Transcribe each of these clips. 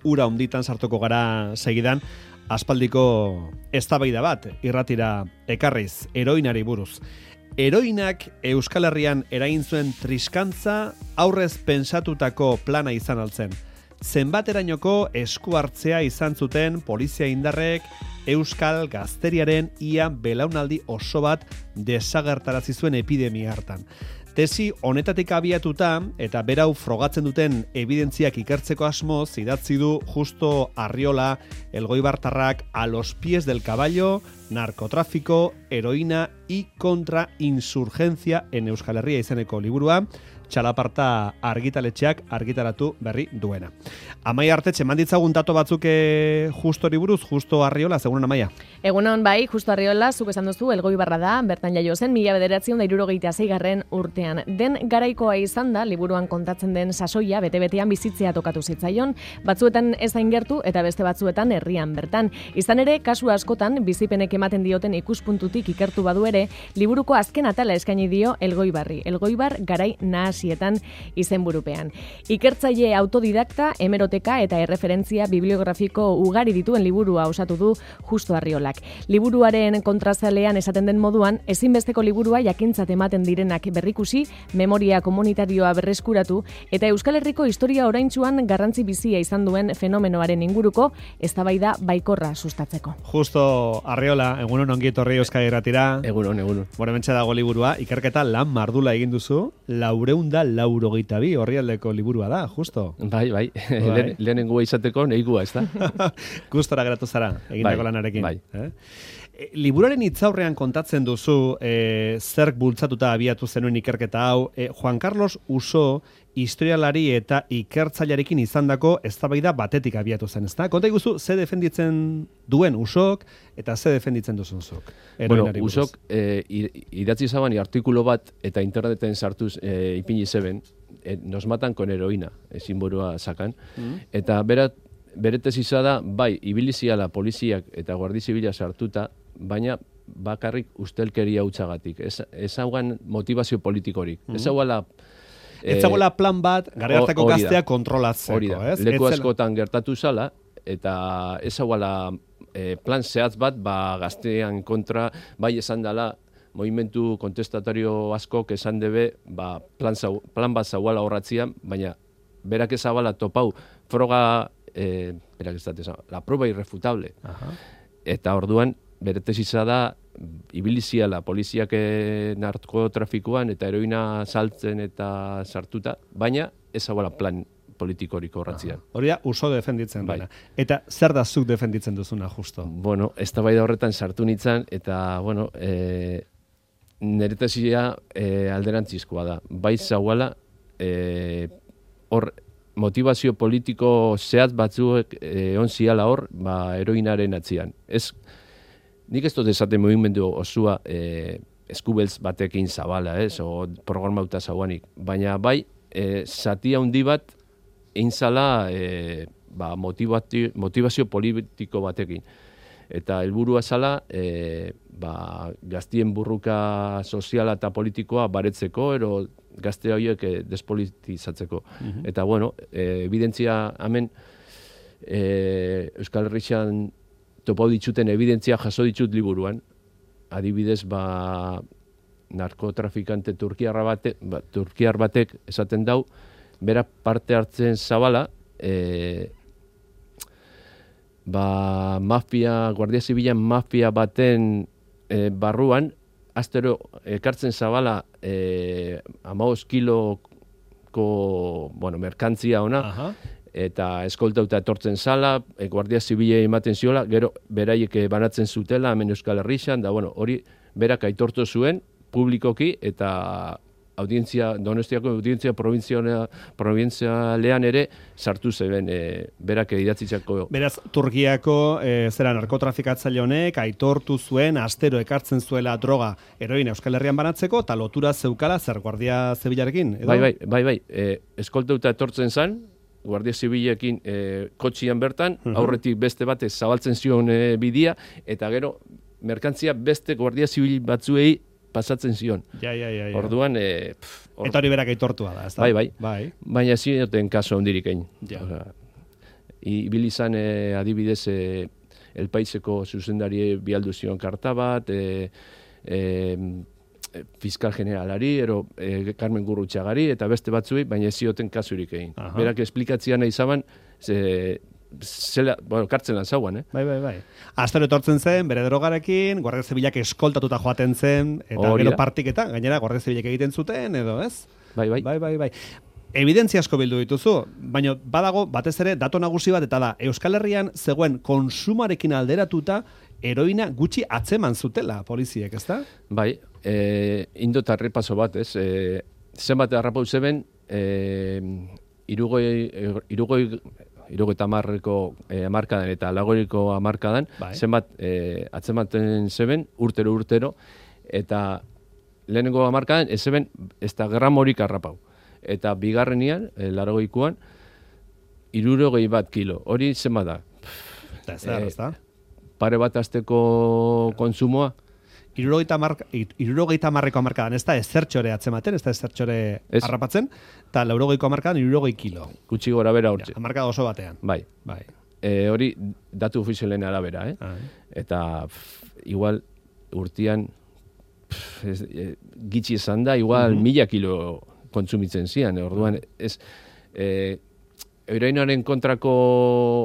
ura honditan sartuko gara segidan, aspaldiko eztabaida bat irratira ekarriz, heroinari buruz. Heroinak Euskal Herrian eragin zuen triskantza aurrez pentsatutako plana izan altzen. Zenbaterainoko esku hartzea izan zuten polizia indarrek Euskal Gazteriaren ia belaunaldi oso bat desagertarazi zuen epidemia hartan. Tesi honetatik abiatuta eta berau frogatzen duten evidentziak ikertzeko asmoz idatzi du Justo Arriola, elgoibartarrak A los pies del caballo, narcotráfico, heroína y contrainsurgencia en Euskal Herria izeneko liburua, Txalaparta argitaletxeak argitaratu berri duena. Amaia Artetxe, manditzagun dato batzuk Justori buruz, Justo Arriola, segunon Amaia? Egunon bai, Justo Arriola, zuk esan duzu, Elgoibarra da, bertan jaio zen, 1976 urtean. Den garaikoa izan da, liburuan kontatzen den sasoia, bete-betean bizitzea tokatu zitzaion, batzuetan ez hain gertu eta beste batzuetan herrian bertan. Izan ere, kasu askotan, bizipenek ematen dioten ikuspuntutik ikertu badu ere, liburuko azken atala eskaini dio Elgoibarri. Elgoibar garai nahasietan izenburupean. Ikertzaile autodidakta, hemeroteka eta erreferentzia bibliografiko ugari dituen liburua osatu du Justo Arriolak. Liburuaren kontrazalean esaten den moduan, ezinbesteko liburua jakintzat ematen direnak berrikusi, memoria komunitarioa berreskuratu eta Euskal Herriko historia oraintsuan garrantzi bizia izan duen fenomenoaren inguruko eztabaida baikorra sustatzeko. Justo Arriola, egunon ongi etorri Euskal Irratira. Egunon. Bueno, hementxe dago liburua, ikerketa lan mardula egin duzu, 482 orrialdeko liburua da, Justo. Bai. Lehenengoa izateko nahikoa, ez da? Gustora geratu zara, egindako lanarekin. Bai. Liburuaren hitzaurrean kontatzen duzu zerk bultzatuta abiatu zenuen ikerketa hau, Juan Carlos Uso historialari eta ikertzailearekin izandako eztabaida batetik abiatu zen, ezta? Konta iguzu, ze defenditzen duen Usok eta ze defenditzen duzun zuk? Bueno, Usok idatzi zabani artikulo bat eta interneten sartuz ipini zeben, nos matan con heroína, ezinburua sakan, eta bere tesisa da, bai, ibiliziala poliziak eta guardi zibila sartuta, baina bakarrik ustelkeria hutsagatik. Ez haugan motivazio politikorik. Ez hauala plan bat, gara hartako gaztea kontrolatzeko. Hori da, leku askotan gertatu zala, eta ez hauala plan zehatz bat, gaztean kontra, bai esan dela, movimentu kontestatario askok esan debe, plan bat zauala horratzian, baina berak ez hauala topau froga, la prueba irrefutable. Eta orduan, bere tesisa da, ibiliziala poliziak narkotrafikoan eta heroina saltzen eta sartuta, baina ez hauala plan politikorik horratzian. Hori da, Uso defenditzen dena. Eta zer da zuk defenditzen duzuna, Justo? Bueno, eztabaida horretan sartu nintzen, eta, bueno, nire tesisia alderantzizkoa da. Bai zauala, hor, motivazio politiko zehatz batzuek onziala hor, heroinaren atzian. Nik ez dut esaten mugimendu osua eskubeltz batekin zabala, o programauta zauanik. Baina bai, zati handi bat einzala motivazio politiko batekin. Eta helburua zala, gaztien burruka soziala eta politikoa baretzeko, ero gazte horiek despolitizatzeko. Eta, bueno, evidentzia hemen Euskal Herrian topau dituten evidentzia jaso ditut liburuan. Adibidez, narkotrafikante turkiar batek esaten dau, bera parte hartzen zabala, Guardia Zibilan mafia baten barruan, astero ekartzen zabala 15 kiloko merkantzia ona, eta eskoltauta etortzen zala, Guardia Zibila ematen ziola, gero beraiek banatzen zutela, hemen Euskal Herrian, da hori berak aitortu zuen publikoki, eta Donostiako audientzia provintzialean ere sartu zeben berak idatzitzako. Beraz, Turkiako narkotrafikatzaile honek aitortu zuen, astero ekartzen zuela droga heroina Euskal Herrian banatzeko, eta lotura zeukala zer Guardia Zibilarekin? Bai. Eskoltauta etortzen zan, Guardia Zibilekin kotxian bertan, aurretik beste batez zabaltzen zion bidia, eta gero merkantzia beste Guardia Zibil batzuei pasatzen zion. Ja. Orduan... Eta hori berak aitortua da, ez da? Bai. Baina zioten kaso hondirik egin. ibili izan adibidez El Paiseko zuzendari bialdu zion karta bat, fiskal generalari, Carmen Gurrutxagari, eta beste batzuei, baina ez zioten kasurik egin. Berak esplikatzia nahi zaban, kartzelan zauan, Bai. Astero etortzen zen, bere drogarekin, Guardia Zibilak eskoltatuta joaten zen, eta gero partiketan, gainera Guardia Zibilak egiten zuten, edo ez? Bai. Evidentzia asko bildu dituzu, baina badago batez ere dato nagusi bat, eta da, Euskal Herrian zegoen konsumarekin alderatuta heroina gutxi atzeman zutela poliziek, ezta? Bai, indot arrepaso bat, ez? Zenbat harrapau zeben, irugoi tamarreko amarkadan eta lagoiriko amarkadan, zenbat atzematen zeben urtero, eta lehenengo amarkadan ez zeben ez da gramorik harrapau. Eta bigarrenian, 80koan, 61 kilo. Hori zenbat da? Ez pare bat asteko kontsumoa. 70ko hamarkadan, ez da ezertxore atzematen, ez da ezertxore harrapatzen, eta 80ko hamarkadan 60 kilo. Gutxi gora bera hortzi. Hamarkada oso batean. Bai. Hori datu ofizialen arabera, Eta igual urtean gitxi esan da, igual 1000 kilo kontsumitzen zian. Orduan, ez... Heroinaren kontrako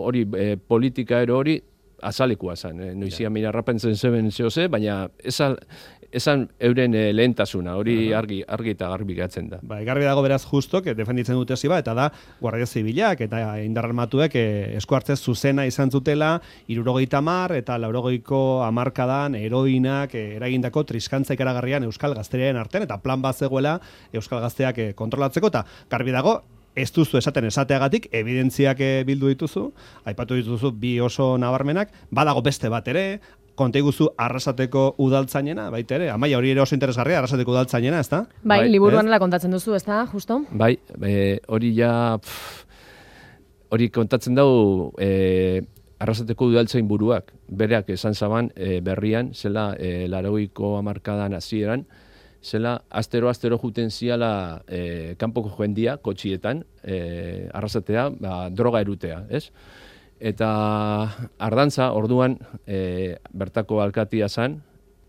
hori politika hori azalekua zen. Noizia mirarrapentzen zeben zehose, baina esan euren lehentasuna, hori argi eta garbi gatzen da. Garbi dago beraz justok, defenditzen dute ziba, eta da Guardia Zibilak eta indar armatuek esku hartze zuzena izan zutela, 70 eta 80ko hamarkadan heroinak eragindako triskantza ikaragarrian Euskal Gazteriaren artean, eta plan bat zegoela Euskal Gazteak kontrolatzeko, eta garbi dago, ez duzu esateagatik, evidentziak bildu dituzu, aipatu dituzu bi oso nabarmenak, badago beste bat ere, konta iguzu Arrasateko udaltzainena, baita ere, Amaia, hori ere oso interesgarria, Arrasateko udaltzainena, ez da? Bai, liburuan ala kontatzen duzu, ez da, justo? Bai, hori ja, hori kontatzen dau Arrasateko udaltzain buruak, bereak esan zaban berrian, zela 80ko hamarkadan hasieran, zela astero juten ziala kanpoko jendia, kotxietan, Arrasatea, droga erutea, ez? Eta Ardantza, orduan, bertako alkatia zan,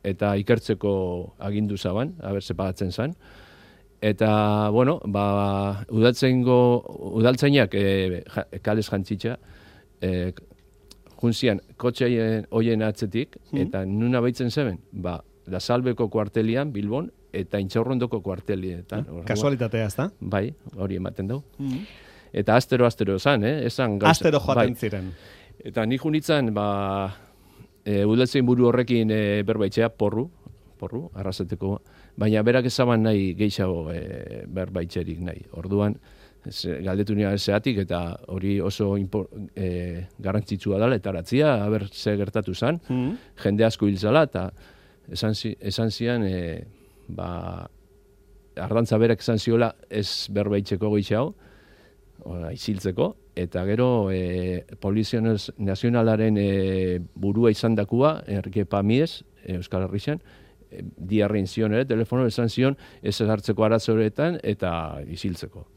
eta ikertzeko agindu zaban, haber pagatzen zan. Eta, bueno, udaltzainak kales jantzitza, junzian, kotxe hoien atzetik, eta nuna baitzen zeben, La Salbeko kuartelian, Bilbon, eta Intxaurrondoko kuartelietan. Kasualitatea, ez da? Bai, hori ematen dugu. Eta astero zan, astero joaten ziren. Eta nik junitzen, udaltzein buru horrekin berbaitxea, porru, Arrasateko, baina berak ezaban nahi gehiago berbaitxerik nahi. Orduan, galdetu nire zeatik, eta hori oso garrantzitsua dela, eta aratzia, haber ze gertatu zan, jende asko hil zala, eta esan zian, Ardantza berak esan ziola ez berbaitzeko gehiago, iziltzeko, eta gero Polizia Nazionalaren burua izan dakua, Enrique Pamies, Euskal Herrian, diarrein zion ere, telefono esan zion ez hartzeko arazoretan eta iziltzeko.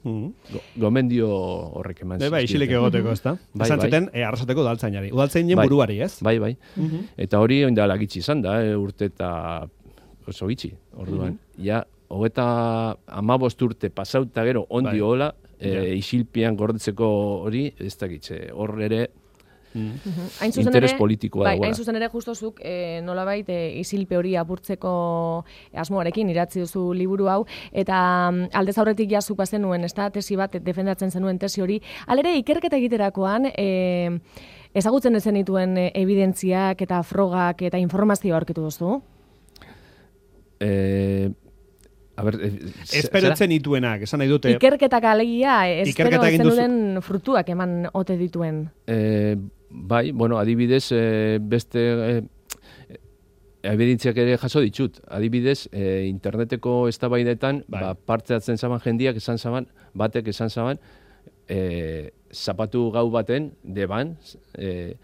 Gomendio horrek eman zizkieten. Isilik egoteko, ez da? Esan zuten, Arrasateko udaltzainari. Udaltzainen buruari, ez? Bai. Eta hori oindala gitxi izan da, urte eta oso gitxi. Orduan, ja, 15 urte pasauta gero ondi hola, isilpian gordetzeko hori, ez da gitxe. Hor ere, interes politikoa dagoela. Hain zuzen ere justozuk nolabait isilpe hori apurtzeko asmoarekin idatzi duzu liburu hau, eta aldez aurretik jasuk bazenuen, ez da, tesi bat defendatzen zenuen tesi hori. Halere, ikerketa egiterakoan, ezagutzen ezen dituen evidentziak eta frogak eta informazioa aurkitu duzu? Esperotzen dituenak, esan nahi dute. Ikerketak alegia, espero ezen duen frutuak eman ote dituen. Bai, bueno, adibidez, beste evidentziak ere jaso ditut. Adibidez, interneteko eztabaidetan parte hartzen zaban jendiak esan zaban, batek esan zaban, zapatu gau baten, deban, 3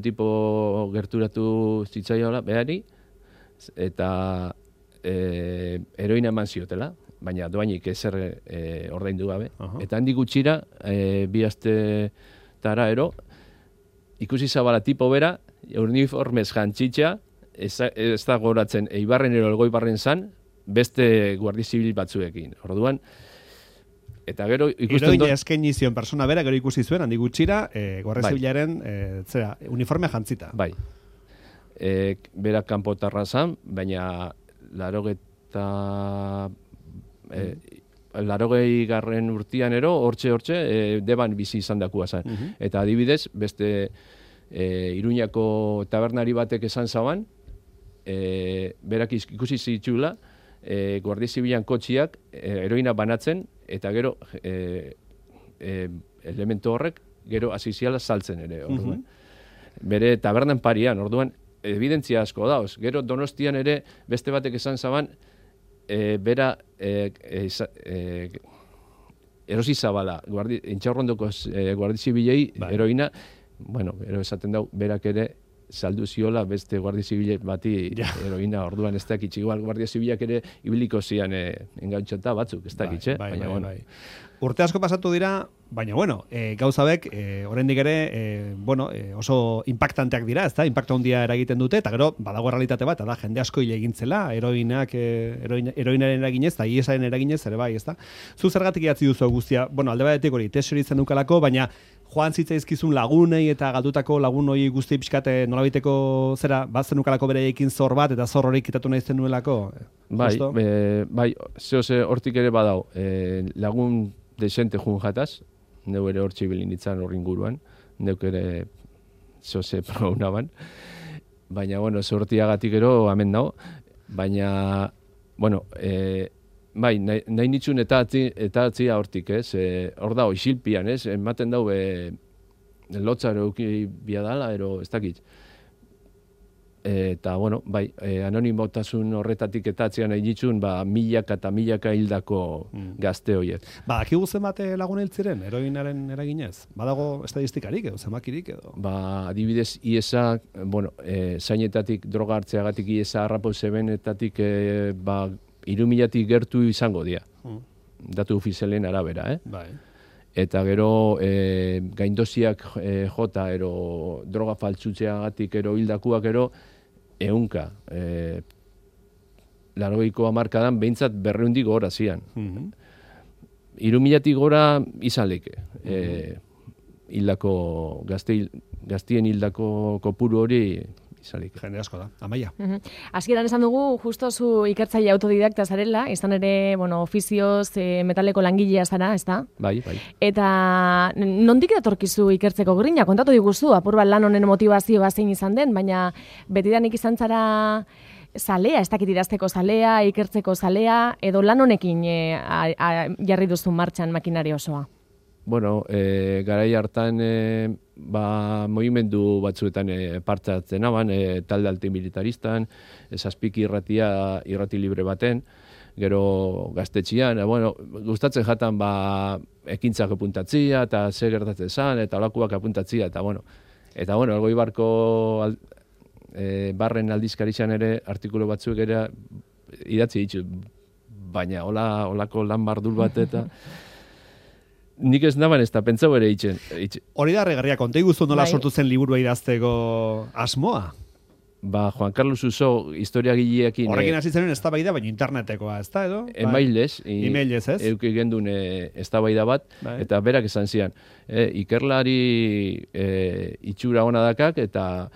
tipo gerturatu zitzaiola, behari, eta heroina eman ziotela, baina doainik ezer ordaindu gabe. Eta handik gutxira, 2 aste tara ero, ikusi zabala tipo bera, uniformez jantzitxa, ez da goratzen Eibarren ero Elgoibarren zan, beste guardia zibil batzuekin. Orduan, eta gero ikusten Heroina eskaini zion persona bera, gero ikusi zuen, handi gutxira, guardia zibilaren uniformea jantzita. Bai. Berak kanpotarra zan, baina 80. Urtean ero, hortxe, deban bizi izan dakua zen. Eta adibidez, beste Iruñako tabernari batek esan zaban, berak ikusi zitxula, guardia zibilan kotxiak heroina banatzen, eta gero elementu horrek gero asiziala saltzen ere. Orduan. Bere tabernan parian, orduan, evidentzia asko dauz. Gero Donostian ere beste batek esan zaban, bera erosi zabala, intxaurrondoko guardia zibilei heroina, bueno, ero esaten dau, berak ere saldu ziola beste guardia zibile bati heroina, orduan ez dakitz, igual guardia zibilak ere ibiliko zian engautxota batzuk, ez dakitz, baina bueno. Urte asko pasatu dira, baina bueno, gauzabek, oraindik ere, oso impactanteak dira, ez da, impacto handia eragiten dute, eta gero, badago realitate bat, da, jende asko hile egintzela, heroinaren eraginez, eta IESaren eraginez, ere bai, ez da. Zu zergatik idatzi duzu guztia, bueno, alde batetik hori, tesori izan dukalako, baina joan zitzaizkizun lagunei eta galdutako lagun hori guzti pixkate nolabiteko zera, bat zenukalako bereekin zor bat, eta zor horik kitatu nahi zenuelako? Bai, zehose hortik ere badau, lagun desente jun jataz, neu ere hor txibilin ditzan horri inguruan, neuk ere zehose praunaban, baina, bueno, zortiagatik ero amen dago, baina, bueno, bai, nahi nitzun eta atzia hortik, ez? Hor dago, isilpian, ez? Ematen dau, lotzar euki biadala, ez dakit. Eta, bueno, bai, anonimotasun horretatik eta atzia nahi nitzun, milaka eta milaka hildako gazte horiek. Akigu zenbat lagun hiltziren, heroinaren eraginez? Badago estadistikarik edo, zemakirik edo? Adibidez, IESA, bueno, zainetatik droga hartzeagatik IESA harrapau zebenetatik, 3.000 gertu izango dira. Datu ofizialen arabera, Bai. Eta gero gaindoziak jota ero droga faltzutzeagatik ero hildakuak ero 100. 80ko hamarkadan behintzat 200 gora zian. 3.000 gora izan leke. Hildako gaztien hildako kopuru hori izalik. Jende asko da, Amaia. Hasieran esan dugu, justo zu ikertzaile autodidakta zarela, izan ere, ofizioz metaleko langilea zara, ez da? Bai. Eta nondik datorkizu ikertzeko grina? Kontatu diguzu, apur bat lan honen motivazioa zein izan den, baina betidanik izan zara zalea, ez dakit idazteko zalea, ikertzeko zalea, edo lan honekin jarri duzu martxan makinari osoa? Bueno, garai hartan movimendu batzuetan parte hartzen aban, talde antimilitaristan, zazpiki irrati libre baten, gero gaztetxian, bueno, gustatzen jatan ekintzak apuntatzia, eta zer gertatzen zan, eta olakuak apuntatzia, eta bueno, Elgoibarko barren aldizkarizan ere artikulu batzuk ere idatzi ditu, baina olako lan bardul bat eta nik ez naban ez da, pentsau ere itxen. Hori da regarria, konta iguzu nola sortu zen liburua idazteko asmoa? Juan Carlos Uso historiagileekin... Horrekin hasi zenuen eztabaida, baina internetekoa, ez da, edo? Emailez, ez? Euki gendun eztabaida bat, eta berak esan zian. Ikerlari itxura hona dakak, eta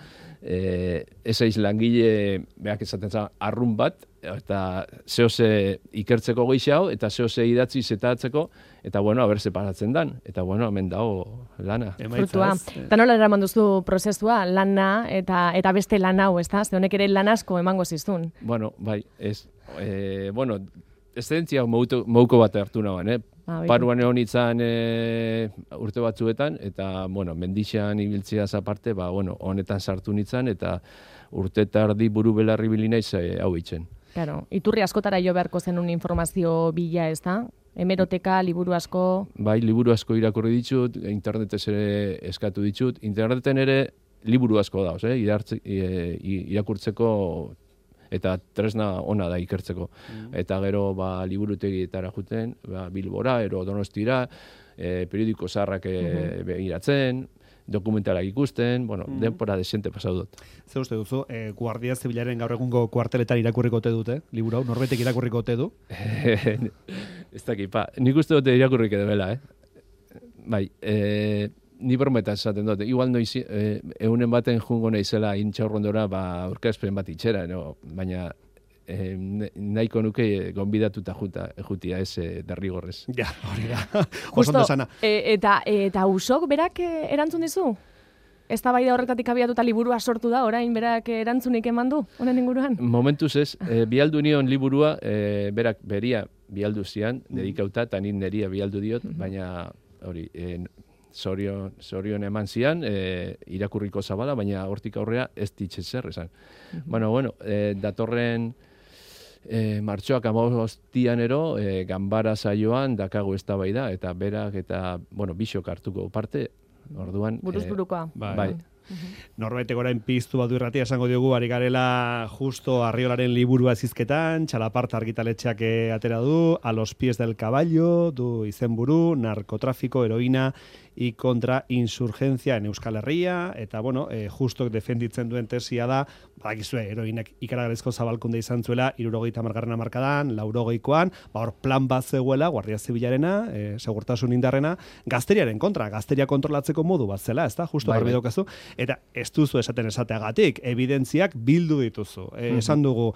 ezaiz langile, berak esaten zan, arrun bat, eta zehose ikertzeko geixau, eta zehose idatzi zetatzeko, eta haber separatzen dan. Eta hemen dago lana. Frutua. Eta nola eraman duzu prozesua, lana, eta beste lan hau, ez da? Ze honek ere lan asko emango ziztun. Bai, ez. Eszentzia mouko bat hartu nagoen, Paruan egon itzan urte batzuetan, eta, mendixan ibiltzea aparte, honetan sartu nitzan, eta urte tardi buru belarri bilinaiz hau itzen. Claro, iturri askotara jo beharko zenun informazio bila, ez da? Hemeroteka, liburu asko... Bai, liburu asko irakurri ditut, internetez ere eskatu ditut. Interneten ere liburu asko dauz, irakurtzeko eta tresna ona da ikertzeko. Eta gero liburutegietara juten, Bilbora, ero Donostira, periodiko zaharrak begiratzen, dokumentalak ikusten, bueno, denpora desente pasau dut. Zer uste duzu, Guardia Zibilaren gaur egungo kuarteletan irakurriko ote dute, liburu hau, norbaitek irakurriko ote du? Ez dakit, nik uste dute irakurrik edabela, Bai, ni brometa esaten dut, igual noiz, egunen baten jungo naizela intxaurrondora, aurkezpen bat itxera, no? Baina nahiko nuke gonbidatuta jutia ez derrigorrez. Ja, hori da. Justo, eta usok berak erantzun dizu? Ez da bai da horretatik abiatuta liburua sortu da, orain berak erantzunik eman du, honen inguruan? Momentuz ez, bialdu nion liburua, berak beria bialdu zian, dedikauta, eta nin neria bialdu diot, baina hori, zorion eman zian, irakurriko zabala, baina hortik aurrea ez ditxezer esan. Bueno, datorren martxoak 15 ero, ganbara saioan dakago eztabaida eta berak eta, bisok hartuko parte, orduan... Buruzburukoa. Bai. Norbaitek orain piztu badu irratia esango diogu, ari garela justo Arriolaren liburua zizketan, Txalaparta argitaletxeak atera du, A los pies del caballo, du izenburu, narkotráfico, heroína y contra insurgencia en Euskal Herria, eta justo defenditzen duen tesia da, badakizue, heroinak ikaragarrizko zabalkunde izan zuela, 70. hamarkadan, 80koan, hor plan bat zegoela, Guardia Zibilarena, segurtasun indarrena, gazteriaren kontra, gazteria kontrolatzeko modu bat zela, ez da, justo garbi daukazu, eta ez duzu esateagatik, evidentziak bildu dituzu. Esan dugu,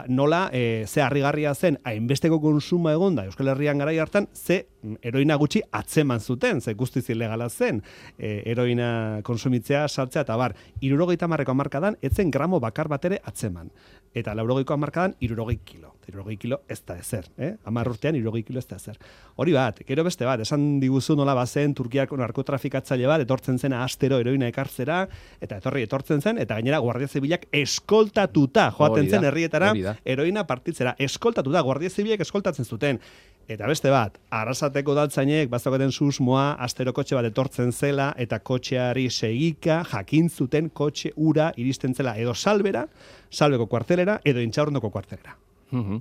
nola, ze harrigarria zen, hainbesteko konsuma egonda, Euskal Herrian garai hartan, ze heroina gutxi atzeman zuten, ze guztiz ilegala zen, heroina konsumitzea, saltzea, eta 70ko hamarkadan, etzen gramo bakar bat ere atzeman. Eta 80ko hamarkadan, 60 kilo. 60 kilo ez da ezer, 10 urtean 60 kilo ez da ezer. Hori bat, gero beste bat, esan diguzu nola bazen Turkiako narkotrafikatzaile bat, etortzen zen astero heroina ekartzera, eta etortzen zen, eta gainera Guardia Zibilak eskoltatuta joaten zen herrietara, heroina partitzera, eskoltatuta, Guardia Zibilek eskoltatzen zuten. Eta beste bat, Arrasateko udaltzainek bazaukaten susmoa, astero kotxe bat etortzen zela, eta kotxeari segika jakin zuten kotxe ura iristen zela, edo salbeko kuartelera, edo Intxaurrondoko kuartelera.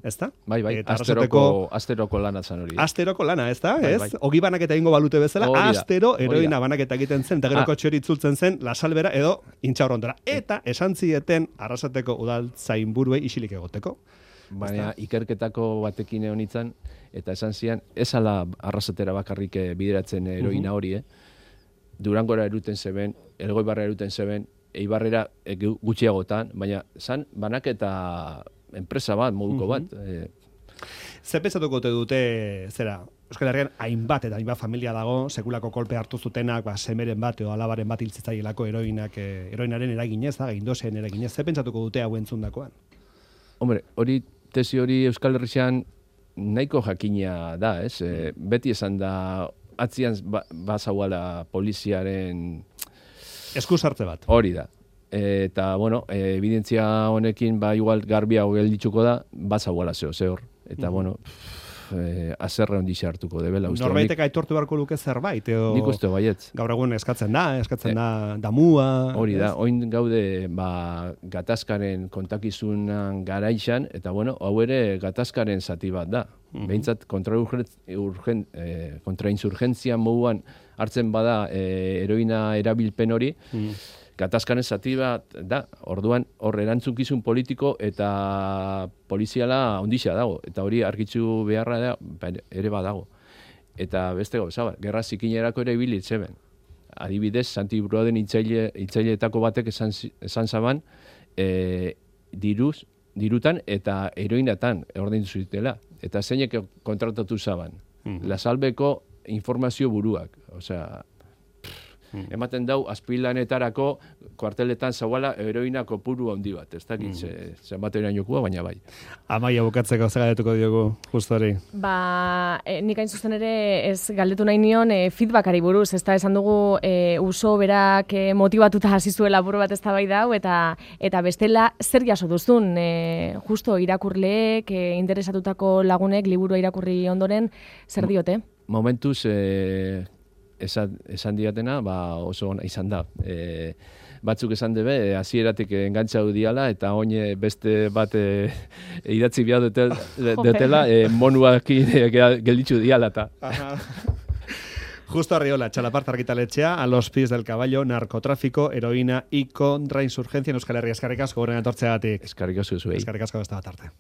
Ezta? Bai, asteroko lana zan hori. Asteroko lana, ezta? Ez? Ogi banaketa egingo balute bezala, astero heroina banaketa egiten zen, eta gero kotxe hori itzultzen zen, La Salbera edo Intxaurrondora. Eta esan zieten Arrasateko udaltzainburuei isilik egoteko. Baina ikerketako batekin egon itzan, eta esan zian, ez ala Arrasatera bakarrik bideratzen heroina hori, Durangora eruten zeben, Elgoibarra eruten zeben, Eibarrera gutxiagotan, baina zan banaketa enpresa bat, moduko bat. Zer pentsatuko dute, Euskal Herrian hainbat eta hainbat familia dago, sekulako kolpe hartu zutenak, semeren bat edo alabaren bat hiltzitzaielako heroinaren eraginez, gindosen eraginez, zer pentsatuko dute hau entzundakoan? Hombre, tesi hori Euskal Herrian nahiko jakina da, ez? Beti esan da, atzian bazauala poliziaren... Eskusartze bat. Hori da. Eta, evidentzia honekin, igual garbiago gelditzuko da, bazauala zehor. Eta, azerra ondixe hartuko debela. Norbaitek aitortu beharko luke zerbait, edo... Nik uste baietz. Gaur egun eskatzen da damua... Hori da, oin gaude gatazkaren kontakizunan garaixan, eta hau ere gatazkaren zati bat da. Behintzat kontrainsurgentzia moduan hartzen bada heroina erabilpen hori, gatazkaren zati bat da. Orduan, hor erantzukizun politiko eta poliziala ondixea dago. Eta hori argitzu beharra da, ere badago. Eta beste gauza, gerra zikinerako ere ibilitzeben. Adibidez, Santi Bruaden hitzaileetako batek esan zaban, dirutan eta heroinatan ordaindu zutela. Eta zeinek kontratatu zaban. La Salbeko informazio buruak. Osea, ematen dau, azpilanetarako kuarteletan zauala heroina kopuru handi bat. Ez dakit zenbat erainokua, baina bai. Amaia bukatzeko galdetuko diogu, justo hori. Nik hain zuzen ere ez galdetu nahi nion feedbackari buruz. Ez da esan dugu uso berak motibatuta hasi zuela buru bat ez da bai dau, eta bestela zer jaso duzun. Justo irakurleek, interesatutako lagunek, liburua irakurri ondoren, zer diote? Momentuz, esan diatena, oso ona izan da. Batzuk esan debe, hasieratik engantzau diala, eta oine beste bat idatzi behar dutela, monuakin gelditzu diala. Justo Arriola, Txalapart argitaletxea, A los pies del caballo, narcotráfico, heroína y contrainsurgencia en Euskal Herria. Eskerrik asko, horren atortzeagatik. Eskerrik asko zuei. Eskerrik asko beste bat arte.